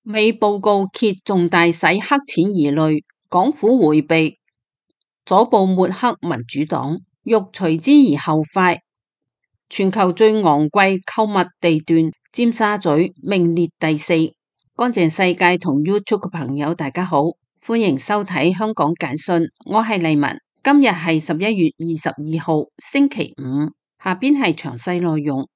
美報告揭重大洗黑錢疑慮，港府迴避，左報抹黑民主黨，欲隨之而後快。全球最昂貴購物地段尖沙咀名列第4。乾淨世界同 YouTube 嘅朋友大家好，歡迎收睇香港簡訊，我係麗文。今日係11月22號星期五，下邊係詳細內容。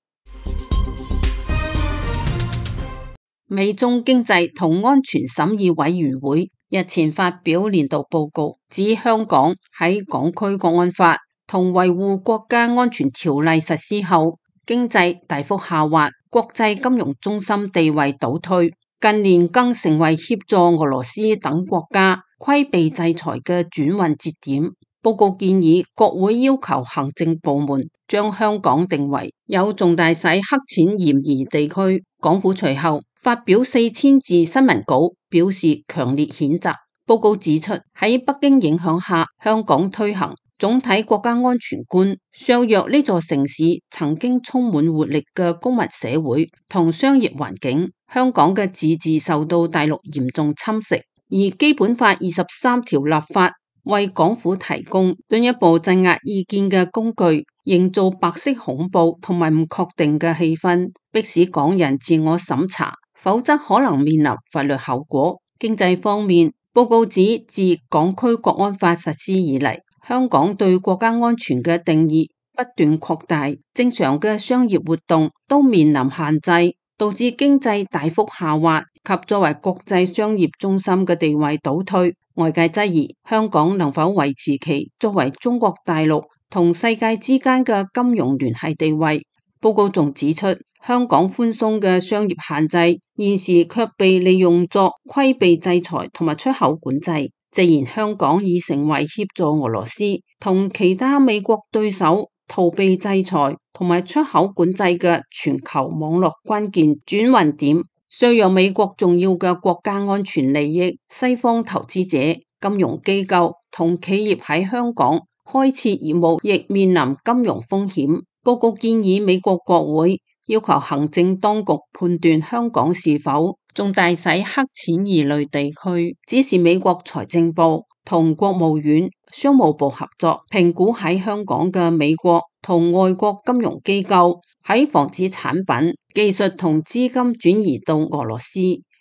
美中經濟同安全審議委員會日前發表年度報告，指香港喺港區國安法同維護國家安全條例實施後，經濟大幅下滑，國際金融中心地位倒退，近年更成為協助俄羅斯等國家規避制裁嘅轉運節點。報告建議國會要求行政部門將香港定為有重大洗黑錢嫌疑地區。港府隨後發表4000字新聞稿，表示強烈譴責。報告指出，喺北京影響下，香港推行總體國家安全觀，削弱呢座城市曾經充滿活力嘅公民社會同商業環境。香港嘅自治受到大陸嚴重侵蝕，而基本法23條立法為港府提供進一步鎮壓意見嘅工具，營造白色恐怖同埋唔確定嘅氣氛，迫使港人自我審查，否則可能面臨法律後果。經濟方面，報告指自港區國安法實施以嚟，香港對國家安全嘅定義不斷擴大，正常嘅商業活動都面臨限制，導致經濟大幅下滑及作為國際商業中心嘅地位倒退。外界質疑香港能否維持其作為中國大陸同世界之間嘅金融聯繫地位。報告仲指出，香港寬鬆嘅商業限制現時卻被利用作規避制裁同埋出口管制，直言香港已成為協助俄羅斯同其他美國對手逃避制裁同埋出口管制嘅全球網絡關鍵轉運點，削弱美國重要嘅國家安全利益。西方投資者、金融機構同企業喺香港開設業務亦面臨金融風險。報告建議美國國會要求行政當局判斷香港是否重大洗黑錢疑慮地區，指示美國財政部同國務院商務部合作，評估喺香港嘅美國同外國金融機構喺防止產品、技術同資金轉移到俄羅斯、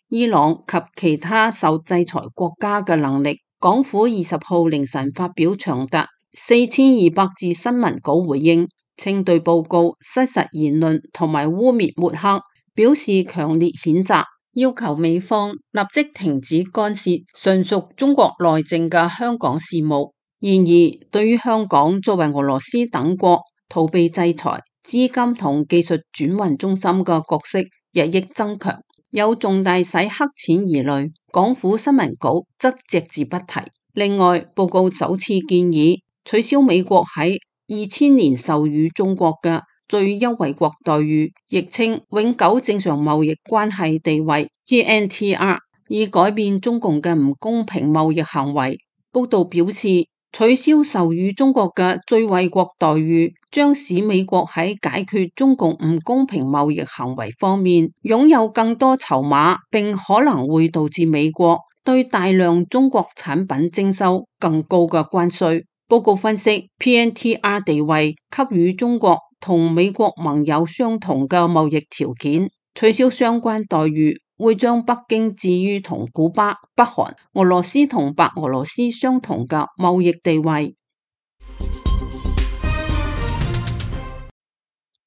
伊朗及其他受制裁國家嘅能力。港府20號凌晨發表長達4200字新聞稿回應，稱對報告失實言論同埋污衊抹黑表示強烈譴責，要求美方立即停止干涉純屬中國內政嘅香港事務。然而，對於香港作為俄羅斯等國逃避制裁、資金同技術轉運中心嘅角色日益增強，有重大洗黑錢疑慮，港府新聞稿則隻字不提。另外，報告首次建議取消美國喺2000年授予中國嘅最優惠國待遇，亦稱永久正常貿易關係地位 PNTR， 以改變中共嘅唔公平貿易行為。報道表示，取消授予中國嘅最惠國待遇，將使美國喺解決中共唔公平貿易行為方面擁有更多籌碼，並可能會導致美國對大量中國產品徵收更高嘅關稅。報告分析 ，PNTR 地位給予中國同美國盟友相同嘅貿易條件，取消相關待遇會將北京置於同古巴、北韓、俄羅斯同白俄羅斯相同嘅貿易地位。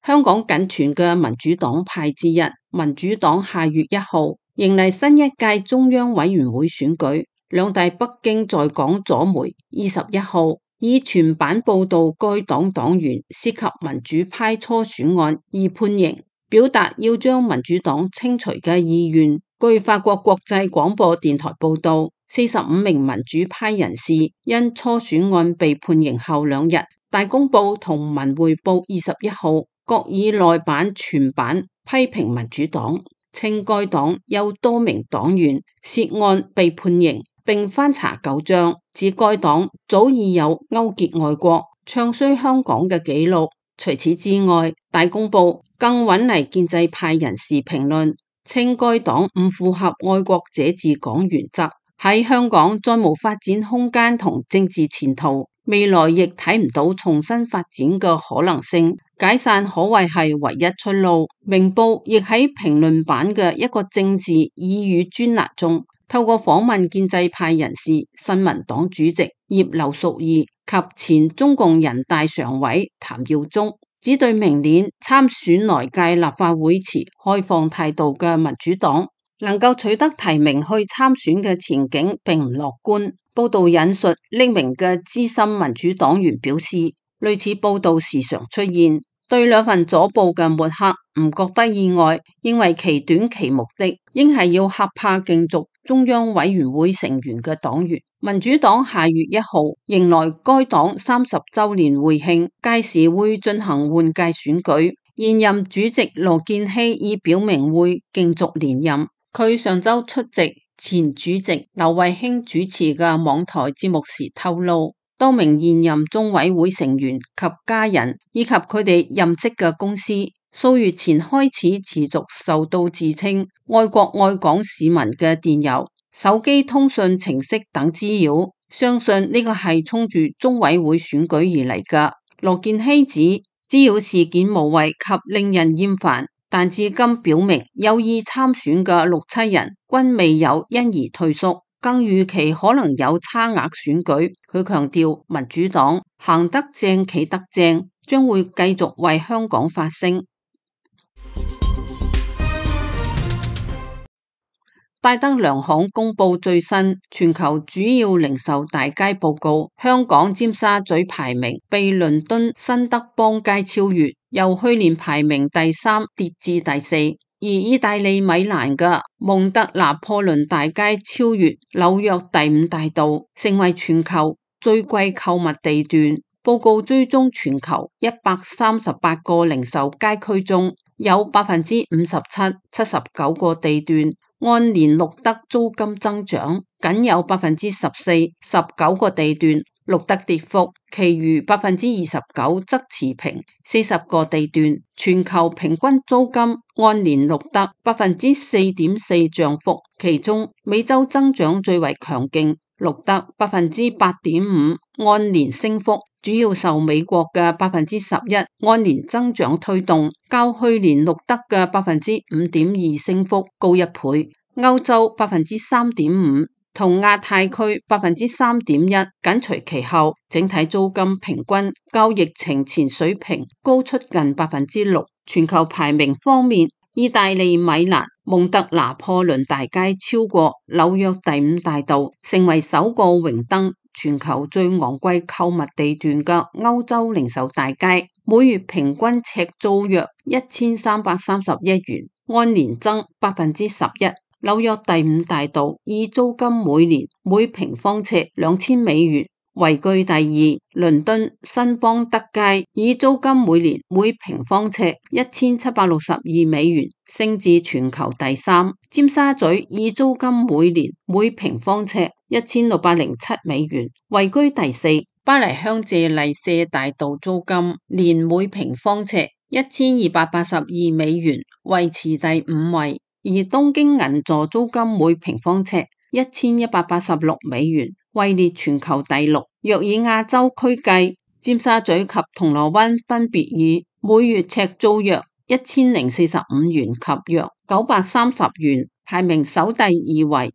香港僅存嘅民主黨派之一，民主黨下月1號迎嚟新一屆中央委員會選舉，兩大北京在港左媒21號以全版報道該黨黨員涉及民主派初選案而判刑，表達要將民主黨清除嘅意願。據法國國際廣播電台報道，45名民主派人士因初選案被判刑後2日，大公報同文匯報21號各以內版、全版批評民主黨，稱該黨有多名黨員涉案被判刑，並翻查舊賬，指該黨早已有勾結外國、唱衰香港嘅記錄。除此之外，大公報更揾嚟建制派人士評論，稱該黨唔符合愛國者治港原則，喺香港再無發展空間同政治前途，未來亦睇唔到重新發展嘅可能性，解散可謂係唯一出路。明報亦喺評論版嘅一個政治耳語專欄中，透過訪問建制派人士、新民黨主席葉劉淑儀及前中共人大常委譚耀宗，只對明年參選來屆立法會持開放態度嘅民主黨能夠取得提名去參選嘅前景並唔樂觀。報道引述匿名嘅資深民主黨員表示，類似報道時常出現，對兩份左報嘅抹黑唔覺得意外，認為其短期目的應係要嚇怕競逐中央委員會成員嘅黨員。民主黨下月1號迎來該黨30週年會慶，屆時會進行換屆選舉。現任主席羅健熙已表明會競逐連任。佢上週出席前主席劉慧卿主持嘅網台節目時透露，多名現任中委會成員及家人以及佢哋任職嘅公司，數月前開始持續受到自稱愛國愛港市民嘅電郵、手機通訊程式等滋擾，相信呢個係衝住中委會選舉而嚟㗎。羅健熙指滋擾事件無謂及令人厭煩，但至今表明有意參選嘅6、7人均未有因而退縮，更預期可能有差額選舉。佢強調民主黨行得正企得正，將會繼續為香港發聲。戴德梁行公布最新全球主要零售大街報告，香港尖沙咀排名被倫敦新德邦街超越，由去年排名第3跌至第4。而意大利米蘭嘅蒙特拿破崙大街超越紐約第5大道，成為全球最貴購物地段。報告追蹤全球138個零售街區中，有57%、79個地段按年錄得租金增長，僅有14%、19個地段錄得跌幅，其餘29%則持平。40個地段全球平均租金按年錄得4.4%漲幅，其中美洲增長最為強勁，錄得8.5%按年升幅，主要受美國嘅11%按年增長推動，較去年錄得嘅5.2%升幅高1倍。歐洲3.5%同亞太區3.1%緊隨其後，整體租金平均較疫情前水平高出近6%。全球排名方面，意大利米蘭蒙特拿破崙大街超過紐約第5大道，成為首個榮登全球最昂貴購物地段嘅歐洲零售大街，每月平均尺租約1331元，按年增11%。紐約第5大道以租金每平方尺$2000位居第2，倫敦新邦德街以租金每平方尺$1762，升至全球第3。尖沙咀以租金每平方尺$1607，位居第4。巴黎香榭麗舍大道租金年每平方尺$1282，維持第5位。而東京銀座租金每平方尺$1186，位列全球第6。若以亞洲區計，尖沙咀及銅鑼灣分別以每月尺租約$1045及約930排名首第2位。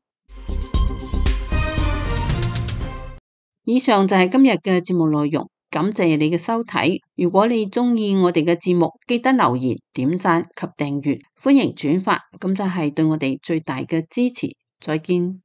以上就係今日嘅節目內容，感謝你嘅收睇。如果你鍾意我哋嘅節目，記得留言、點讚及訂閱，歡迎轉發，咁就係對我哋最大嘅支持。再見。